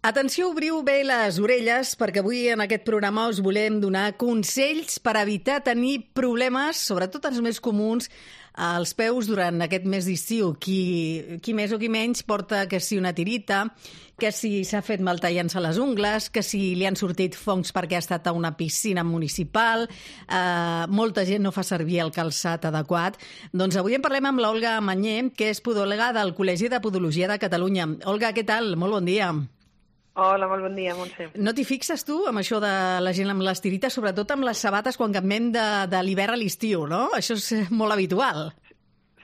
Atenció, obriu bé les orelles, perquè avui en aquest programa us volem donar consells per evitar tenir problemes, sobretot els més comuns, als peus durant aquest mes d'estiu. Qui més o qui menys porta que si una tirita, que si s'ha fet mal tallant-se les ungles, que si li han sortit fongs perquè ha estat a una piscina municipal, molta gent no fa servir el calçat adequat. Doncs avui en parlem amb l'Olga Mañé, que és podòloga del Col·legi de Podologia de Catalunya. Olga, què tal? Molt bon dia. Hola, molt bon dia, Montse. No t'hi fixes tu amb això de la gent amb les tirites, sobretot amb les sabates quan canviem de l'hivern a l'estiu, no? Això és molt habitual.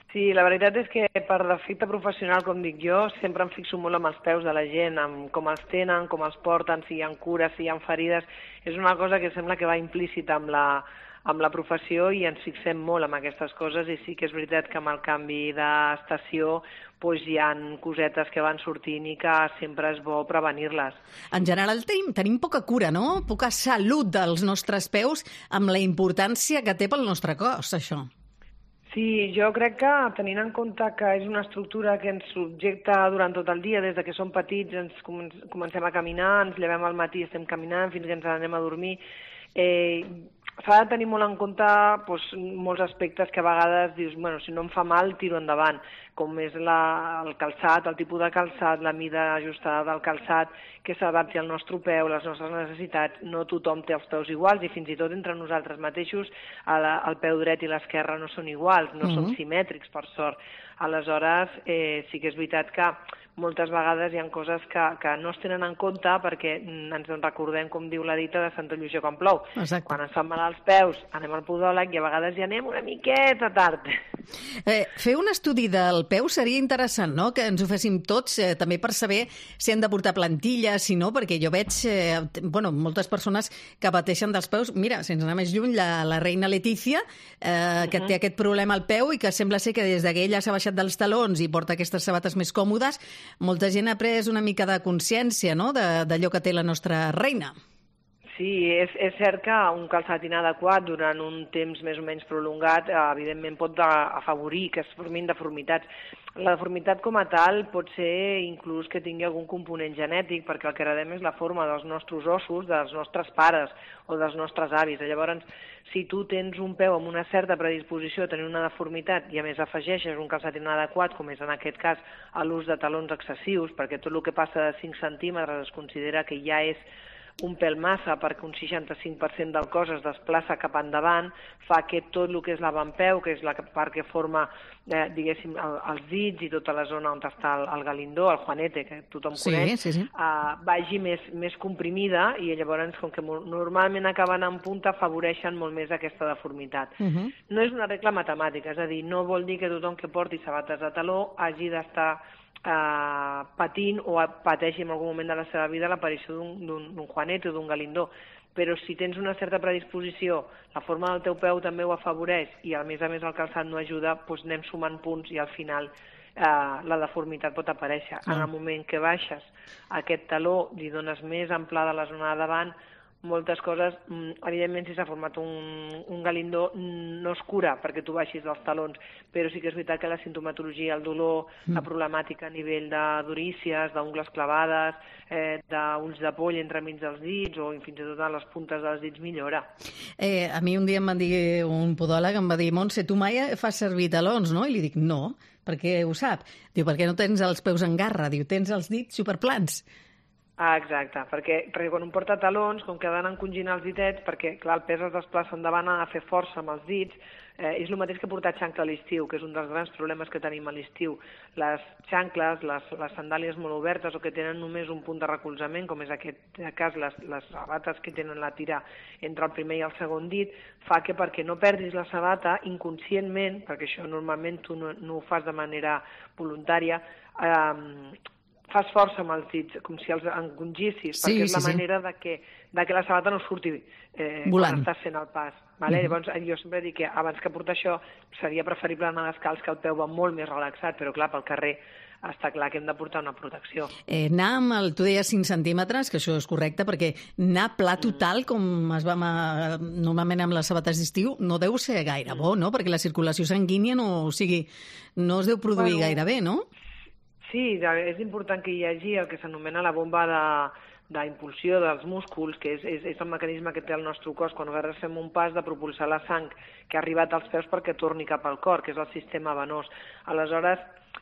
Sí, la veritat és que per defecte professional, com dic jo, sempre em fixo molt amb els peus de la gent, amb com els tenen, com els porten, si hi ha cures, si hi ha ferides. És una cosa que sembla que va implícita amb la professió i ens fixem molt en aquestes coses, i sí que és veritat que amb el canvi d'estació doncs hi ha cosetes que van sortint i que sempre és bo prevenir-les. En general tenim poca cura, no? Poca salut dels nostres peus amb la importància que té pel nostre cos, això. Sí, jo crec que tenint en compte que és una estructura que ens subjecta durant tot el dia, des de que som petits ens comencem a caminar, ens llevem al matí, estem caminant fins que ens anem a dormir, s'ha de tenir molt en compte molts aspectes que a vegades dius, bueno, si no em fa mal, tiro endavant, com és el calçat, el tipus de calçat, la mida ajustada del calçat, que s'adapti al nostre peu, les nostres necessitats. No tothom té els peus iguals i fins i tot entre nosaltres mateixos el peu dret i l'esquerre no són iguals, no són simètrics, per sort. Aleshores, sí que és veritat que moltes vegades hi ha coses que no es tenen en compte perquè ens en recordem, com diu la dita, de Santa Lluïsa quan plou. Exacte. Quan ens fan mal als peus, anem al podòleg i a vegades hi anem una miqueta tard. Fer un estudi del peu seria interessant, no?, que ens ho féssim tots, també per saber si hem de portar plantilles, si no, perquè jo veig moltes persones que pateixen dels peus. Mira, sense anar més lluny, la reina Letícia, que té aquest problema al peu i que sembla ser que des que ella s'ha baixat dels talons i porta aquestes sabates més còmodes, molta gent ha pres una mica de consciència, no?, d'allò que té la nostra reina. Sí, és cert que un calçat inadequat durant un temps més o menys prolongat evidentment pot afavorir que es formin deformitats. La deformitat com a tal pot ser inclús que tingui algun component genètic, perquè el que heredem és la forma dels nostres ossos, dels nostres pares o dels nostres avis. Llavors, si tu tens un peu amb una certa predisposició a tenir una deformitat i a més afegeixes un calçat inadequat, com és en aquest cas l'ús de talons excessius, perquè tot el que passa de 5 centímetres es considera que ja és un pèl massa perquè un 65% del cos es desplaça cap endavant, fa que tot el que és l'avantpeu, que és la part que forma, diguéssim, els dits i tota la zona on està el galindó, el juanete, que tothom coneix, vagi més comprimida i llavors, com que normalment acaben en punta, afavoreixen molt més aquesta deformitat. No és una regla matemàtica, és a dir, no vol dir que tothom que porti sabates de taló hagi d'estar patint o pateixi en algun moment de la seva vida l'aparició d'un juanete o d'un galindó, però si tens una certa predisposició, la forma del teu peu també ho afavoreix i a més el calçat no ajuda, doncs anem sumant punts i al final la deformitat pot aparèixer. En el moment que baixes aquest taló, li dones més amplada a la zona de davant, moltes coses, evidentment si s'ha format un galindó no es cura perquè tu baixis els talons, però sí que és veritat que la sintomatologia, el dolor, la problemàtica a nivell de durícies, d'ungles clavades, d'ulls de poll entremig dels dits o fins i tot a les puntes dels dits millora. A mi un dia em va dir un podòleg, em va dir, Montse, tu mai fas servir talons, no? I li dic, no, perquè ho sap. Diu, perquè no tens els peus en garra, diu, tens els dits superplans. Exacte, perquè quan un porta talons, com que ha d'anar encongint els ditets, perquè clar, el pes es desplaça endavant, ha de fer força amb els dits, és el mateix que portar xancla a l'estiu, que és un dels grans problemes que tenim a l'estiu. Les xancles, les sandàlies molt obertes o que tenen només un punt de recolzament, com és aquest cas, les sabates que tenen la tira entre el primer i el segon dit, fa que perquè no perdis la sabata, inconscientment, perquè això normalment tu no ho fas de manera voluntària, fas força amb els dits, com si els encongissis, perquè és la manera de que la sabata no surti quan estàs fent el pas. Llavors, jo sempre dic que abans que portar això seria preferible anar descalç, que el peu va molt més relaxat, però clar, pel carrer està clar que hem de portar una protecció. Anar amb tu deies 5 centímetres, que això és correcte, perquè anar pla total, com es va normalment amb les sabates d'estiu, no deu ser gaire bo, no? Perquè la circulació sanguínia no es deu produir gaire bé, no? Sí, és important que hi hagi el que s'anomena la bomba d'impulsió dels músculs, que és el mecanisme que té el nostre cos quan nosaltres fem un pas de propulsar la sang que ha arribat als peus perquè torni cap al cor, que és el sistema venós. Aleshores,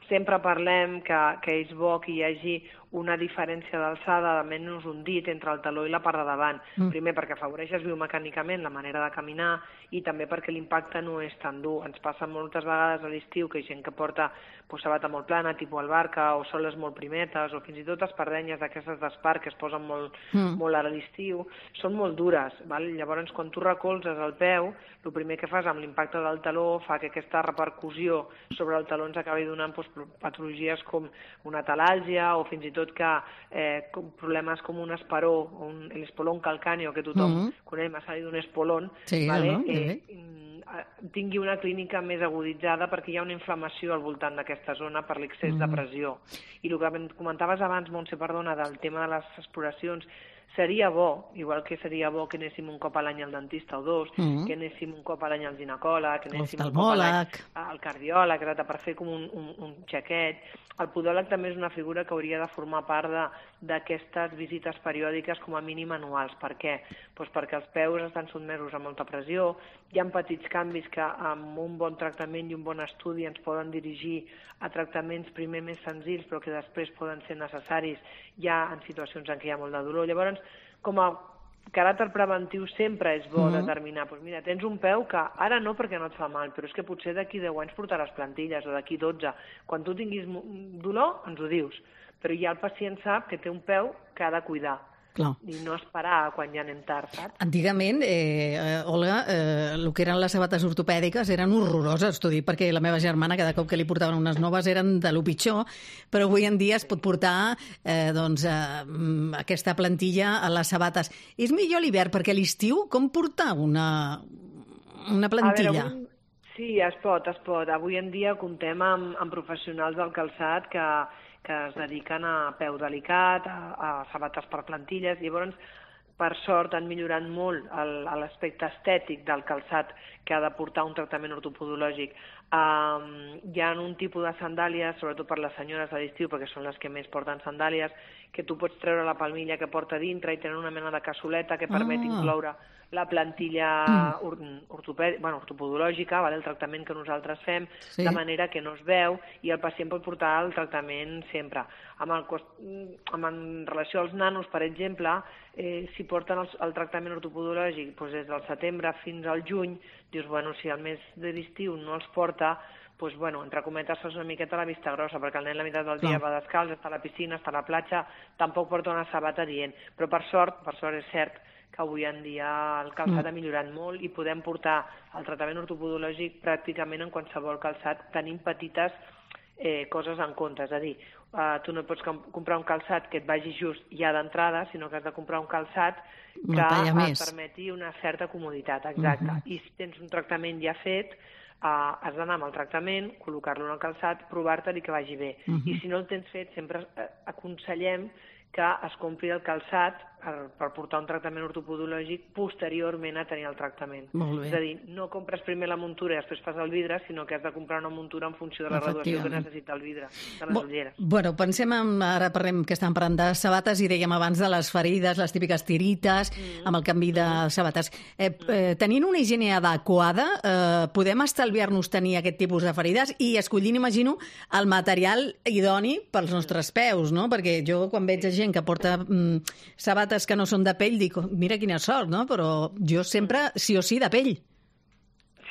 sempre parlem que és bo que hi hagi una diferència d'alçada de menys un dit entre el taló i la part de davant. Primer, perquè afavoreixes biomecànicament la manera de caminar i també perquè l'impacte no és tan dur. Ens passa moltes vegades a l'estiu que hi ha gent que porta sabata molt plana, tipus albarca, o soles molt primetes, o fins i tot espardenyes d'aquestes d'espart que es posen molt ara a l'estiu, són molt dures. Val? Llavors, quan tu recolzes el peu, el primer que fas amb l'impacte del taló fa que aquesta repercussió sobre el taló ens acabi donant patologies com una talàlgia o fins i tot que problemes com un esperó, l'espolón calcàneo, que tothom coneix, m'ha salit un espolón, tingui una clínica més aguditzada perquè hi ha una inflamació al voltant d'aquesta zona per l'excés de pressió. I el que comentaves abans, Montse, perdona, del tema de les exploracions, seria bo, igual que seria bo que anéssim un cop a l'any al dentista o dos, que anéssim un cop a l'any al ginecòleg, que anéssim un cop a l'any al cardiòleg, per fer com un xequet. El podòleg també és una figura que hauria de formar part d'aquestes visites periòdiques com a mínim anuals. Per què? Doncs perquè els peus estan sotmesos a molta pressió, hi ha petits canvis que amb un bon tractament i un bon estudi ens poden dirigir a tractaments primer més senzills però que després poden ser necessaris ja en situacions en què hi ha molt de dolor. Llavors, com a caràcter preventiu sempre és bo determinar, doncs mira, tens un peu que ara no perquè no et fa mal, però és que potser d'aquí 10 anys portaràs plantilles o d'aquí 12. Quan tu tinguis dolor, ens ho dius, però ja el pacient sap que té un peu que ha de cuidar. Clar. I no esperar quan ja anem tard, saps? Antigament, Olga, el que eren les sabates ortopèdiques eren horroroses, t'ho dic, perquè la meva germana cada cop que li portaven unes noves eren de lo pitjor, però avui en dia es pot portar aquesta plantilla a les sabates. És millor l'hivern, perquè a l'estiu com portar una plantilla? Sí, es pot. Avui en dia comptem amb professionals del calçat que es dediquen a peu delicat, a sabates per plantilles. Llavors, per sort, han millorat molt l'aspecte estètic del calçat que ha de portar un tractament ortopodològic. Hi ha un tipus de sandàlies, sobretot per les senyores de l'estiu, perquè són les que més porten sandàlies, que tu pots treure la palmilla que porta dintre i tenen una mena de cassoleta que permet incloure la plantilla ortopodològica, el tractament que nosaltres fem, de manera que no es veu i el pacient pot portar el tractament sempre. En relació als nanos, per exemple, si porten el tractament ortopodològic des del setembre fins al juny, dius, si al mes de l'estiu no els porta, entre cometes fas una miqueta la vista grossa, perquè el nen la meitat del dia va descalç, està a la piscina, està a la platja, tampoc porta una sabata dient. Però per sort és cert que avui en dia el calçat ha millorat molt i podem portar el tractament ortopodològic pràcticament en qualsevol calçat, tenint petites coses en compte. És a dir, tu no pots comprar un calçat que et vagi just ja d'entrada, sinó que has de comprar un calçat que et permeti una certa comoditat. Exacte. I si tens un tractament ja fet, has d'anar amb el tractament, col·locar-lo en el calçat, provar-te'l i que vagi bé. I si no el tens fet, sempre aconsellem que es compri el calçat per portar un tractament ortopodològic posteriorment a tenir el tractament. És a dir, no compres primer la muntura i després fas el vidre, sinó que has de comprar una muntura en funció de la graduació que necessita el vidre, de les ulleres. Bueno, pensem ara parlem que estàvem parlant de sabates i dèiem abans de les ferides, les típiques tirites, amb el canvi de sabates. Tenint una higiene adequada, podem estalviar-nos tenir aquest tipus de ferides i escollint, imagino, el material idoni pels nostres peus, no? Perquè jo quan veig gent que porta sabates que no són de pell, dic, mira quina sort, no? Però jo sempre, sí o sí, de pell.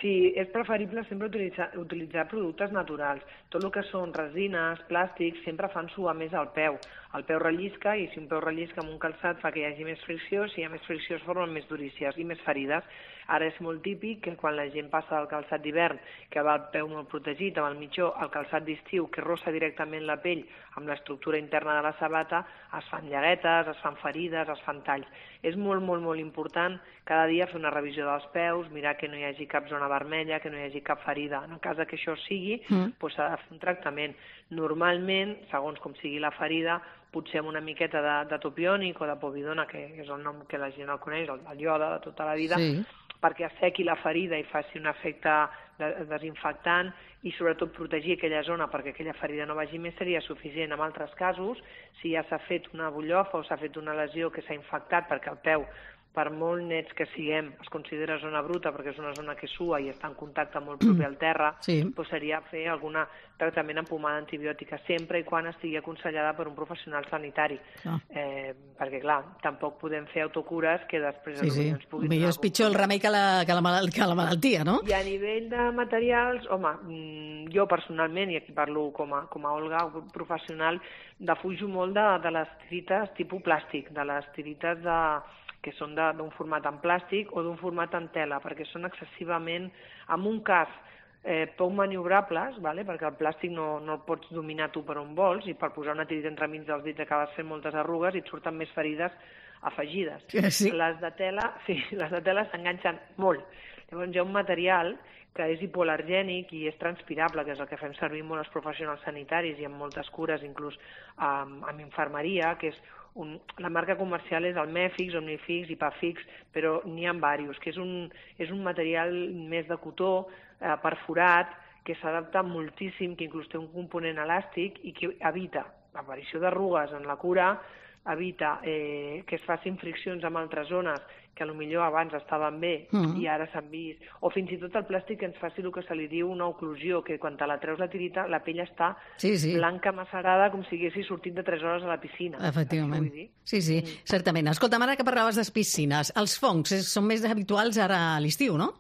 Sí, és preferible sempre utilitzar productes naturals. Tot el que són resines, plàstics, sempre fan suar més el peu. El peu rellisca i si un peu rellisca amb un calçat fa que hi hagi més fricció, si hi ha més fricció es formen més durícies i més ferides. Ara és molt típic que quan la gent passa del calçat d'hivern, que va el peu molt protegit, amb el mitjó, al calçat d'estiu, que rossa directament la pell amb l'estructura interna de la sabata, es fan llaguetes, es fan ferides, es fan talls. És molt, molt, molt important cada dia fer una revisió dels peus, mirar que no hi hagi cap zona vermella, que no hi hagi cap ferida. En el cas que això sigui, s'ha de fer un tractament. Normalment, segons com sigui la ferida, potser amb una miqueta de topiònic o de povidona, que és el nom que la gent el coneix, el ioda de tota la vida, perquè assequi la ferida i faci un efecte desinfectant i sobretot protegir aquella zona perquè aquella ferida no vagi més seria suficient. En altres casos, si ja s'ha fet una butllofa o s'ha fet una lesió que s'ha infectat perquè el peu, per molt nets que siguem, es considera zona bruta perquè és una zona que sua i està en contacte molt propi al terra, doncs seria fer algun tractament amb pomada antibiòtica, sempre i quan estigui aconsellada per un professional sanitari. Perquè, clar, tampoc podem fer autocures que després ens puguin... Millor és pitjor el remei que la malaltia, no? I a nivell de materials, home, jo personalment, i aquí parlo com a Olga, professional, defujo molt de les tirites tipus plàstic, de les tirites que són d'un format en plàstic o d'un format en tela, perquè són excessivament, en un cas, poc maniobrables, perquè el plàstic no el pots dominar tu per on vols, i per posar una tirita entremig dels dits acabes fent moltes arrugues i et surten més ferides afegides. Sí. Les de tela s'enganxen molt. Llavors hi ha un material que és hipoal·lergènic i és transpirable, que és el que fem servir molt els professionals sanitaris i en moltes cures, inclús amb infermeria, que és la marca comercial és el Mefix, Omnifix, Ipafix, però n'hi ha diversos, que és un material més de cotó, perforat, que s'adapta moltíssim, que inclús té un component elàstic i que evita l'aparició d'arrugues en la cura, evita que es facin friccions amb altres zones que potser abans estaven bé i ara s'han vist, o fins i tot el plàstic que ens faci el que se li diu una oclusió, que quan te la treus la tirita la pell està blanca macerada com si haguessis sortit de 3 hores a la piscina. Efectivament. Sí, certament. Escolta'm, ara que parlaves de piscines, els fongs són més habituals ara a l'estiu, no?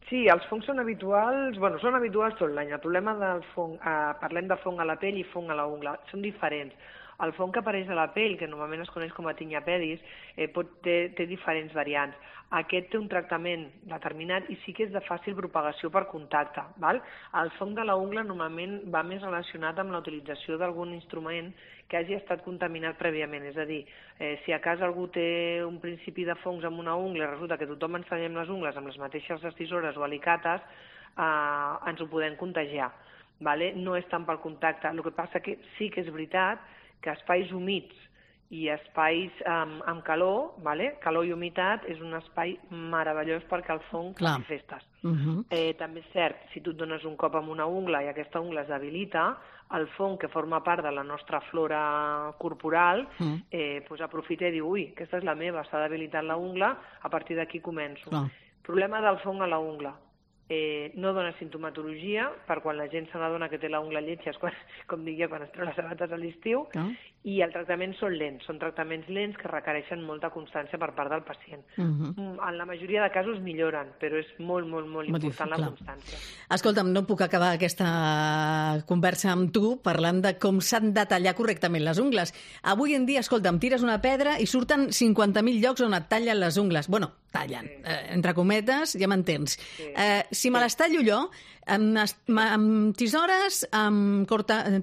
Sí, els fongs són habituals, són habituals tot l'any. El problema del fong, parlem de fong a la pell i fong a la ungla, són diferents. El fong que apareix a la pell, que normalment es coneix com a tinea-pedis, té diferents variants. Aquest té un tractament determinat i sí que és de fàcil propagació per contacte. El fong de la ungla normalment va més relacionat amb la utilització d'algun instrument que hagi estat contaminat prèviament. És a dir, si a casa algú té un principi de fongs amb una ungla i resulta que tothom ens tallem les ungles amb les mateixes tisores o alicates, ens ho podem contagiar. No és tant pel contacte. El que passa que sí que és veritat que espais humits i espais amb calor, calor i humitat, és un espai meravellós perquè el fong manifestes. També és cert, si tu et dones un cop amb una ungla i aquesta ungla es debilita, el fong que forma part de la nostra flora corporal aprofita i diu, ui, aquesta és la meva, s'ha debilitat la ungla, a partir d'aquí començo. Problema del fong a la ungla. No dona sintomatologia, per quan la gent se n'adona que té la ungla lletja, com dic jo, quan es treu les sabates a l'estiu, i el tractament són lents, són tractaments lents que requereixen molta constància per part del pacient. En la majoria de casos milloren, però és molt, molt, molt important la constància. Escolta'm, no puc acabar aquesta conversa amb tu parlant de com s'han de tallar correctament les ungles. Avui en dia, escolta'm, tires una pedra i surten 50.000 llocs on et tallen les ungles. Bueno, tallen, entre cometes, ja m'entens. Si me les tallo jo, amb tisores, amb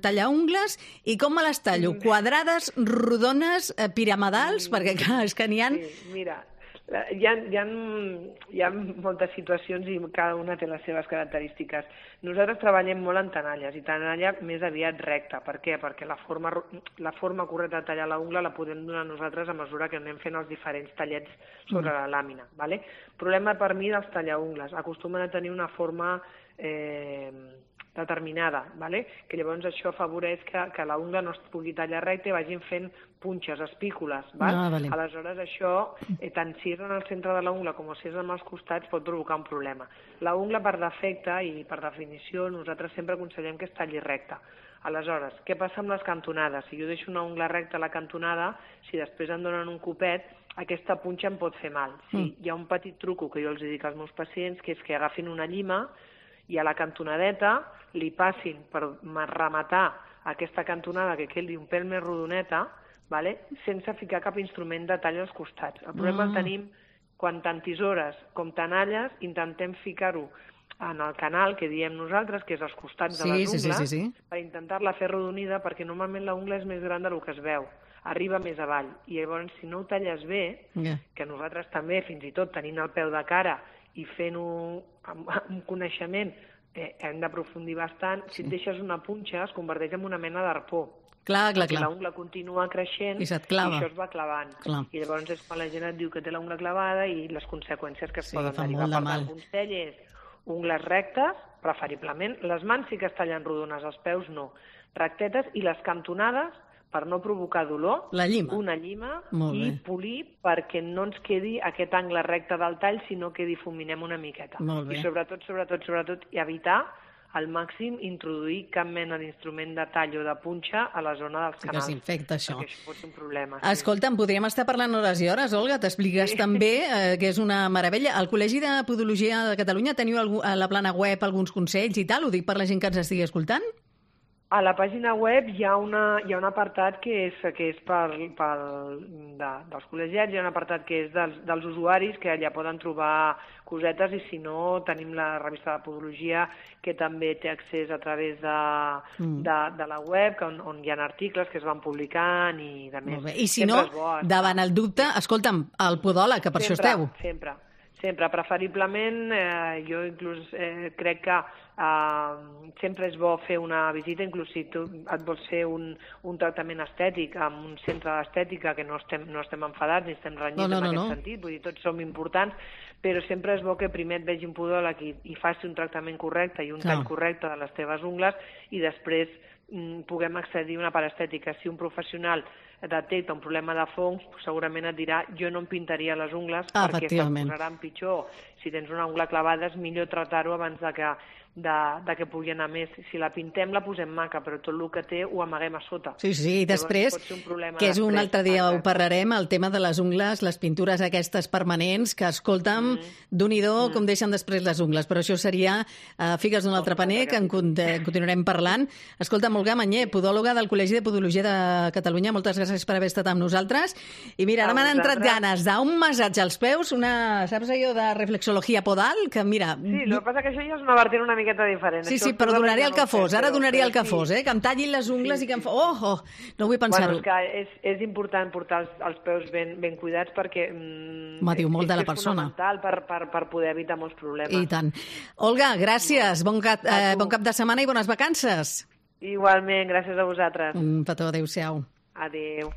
tallaungles, i com me les tallo? Quadrades, rodones, piramidals? Perquè, clar, és que n'hi ha... Mira, hi ha moltes situacions i cada una té les seves característiques. Nosaltres treballem molt en tenalles, i tenalla més aviat recta. Per què? Perquè la forma correcta de tallar la ungla la podem donar nosaltres a mesura que anem fent els diferents tallets sobre la làmina. Problema per mi dels tallaungles. Acostumen a tenir una forma determinada, que llavors això afavoreix que la ungla no es pugui tallar recta i vagin fent punxes, espícules. Aleshores això, tant si és en el centre de la ungla com si és en els costats, pot provocar un problema. La ungla per defecte i per definició nosaltres sempre aconsellem que es talli recta. Aleshores, què passa amb les cantonades? Si jo deixo una ungla recta a la cantonada, si després em donen un copet, aquesta punxa em pot fer mal. Hi ha un petit truco que jo els dic als meus pacients, que és que agafin una llima i a la cantonadeta li passin per rematar aquesta cantonada que quedi un pèl més rodoneta, sense ficar cap instrument de tall als costats. El problema el tenim quan tant tisores com tenalles intentem ficar-ho en el canal que diem nosaltres, que és als costats de les ungles, per intentar-la fer rodonida, perquè normalment la ungla és més gran del que es veu, arriba més avall. I llavors, si no ho talles bé, que nosaltres també, fins i tot tenint el peu de cara i fent-ho amb un coneixement, hem d'aprofundir bastant, si et deixes una punxa es converteix en una mena d'arpó. Clar. L'ungla continua creixent i se't clava. I això es va clavant. Clar. I llavors és quan la gent et diu que té l'ungla clavada i les conseqüències que es poden fa derivar. molt de Per mal. tant, el consell és ungles rectes, preferiblement. Les mans sí que es tallen rodones, els peus no. Rectetes i les cantonades, per no provocar dolor, La llima. una llima Molt i bé. polir perquè no ens quedi aquest angle recte del tall, sinó que difuminem una miqueta. Molt bé. I sobretot, i evitar al màxim introduir cap mena d'instrument de tall o de punxa a la zona dels Sí que canals. s'infecta, això. Perquè això pot ser un problema. Escolta'm, podríem estar parlant hores i hores, Olga. T'expliques també, que és una meravella. Al Col·legi de Podologia de Catalunya teniu a la plana web alguns consells i tal? Ho dic per la gent que ens estigui escoltant? A la pàgina web hi ha un apartat que és dels col·legiats, hi ha un apartat que és dels usuaris, que allà poden trobar cosetes, i si no, tenim la revista de Podologia, que també té accés a través de la web, on hi ha articles que es van publicant i de més. Molt bé. I si no, davant el dubte, escolta'm, el podòleg, que per això esteu. Sempre. Preferiblement, jo inclús crec que sempre és bo fer una visita, inclús si tu et vols fer un tractament estètic amb un centre d'estètica, que no estem enfadats ni estem renyits en aquest sentit, vull dir, tots som importants, però sempre és bo que primer et vegi un podòleg i faci un tractament correcte i un tall correcte de les teves ungles, i després puguem accedir a una part estètica. Si un professional detecta un problema de fongs, segurament et dirà: jo no em pintaria les ungles perquè se't posaran pitjor. Si tens una ungla clavada és millor tractar-ho abans de que pugui anar més. Si la pintem la posem maca, però tot el que té ho amaguem a sota. Sí, i després, que és un altre dia ho parlarem, el tema de les ungles, les pintures aquestes permanents, que escolta'm, Déu-n'hi-do com deixen després les ungles, però això seria figues d'un altre paner, que en continuarem parlant. Escolta'm, Olga Mañé, podòloga del Col·legi de Podologia de Catalunya, moltes gràcies per haver estat amb nosaltres. I mira, ara m'han entrat ganes d'un massatge als peus, saps allò de reflexologia podal? Que mira... Sí, el que passa que això ja és una vertent una miqueta diferent. Sí, però donaria el que fos, ara donaria el que fos, que em tallin les ungles i que em fa... no vull pensar-ho. Bueno, és que és important portar els peus ben cuidats perquè diu molt de la persona. És fonamental per poder evitar molts problemes. I tant. Olga, gràcies, bon cap de setmana i bones vacances. Igualment, gràcies a vosaltres. Un petó, adéu-siau. Adéu.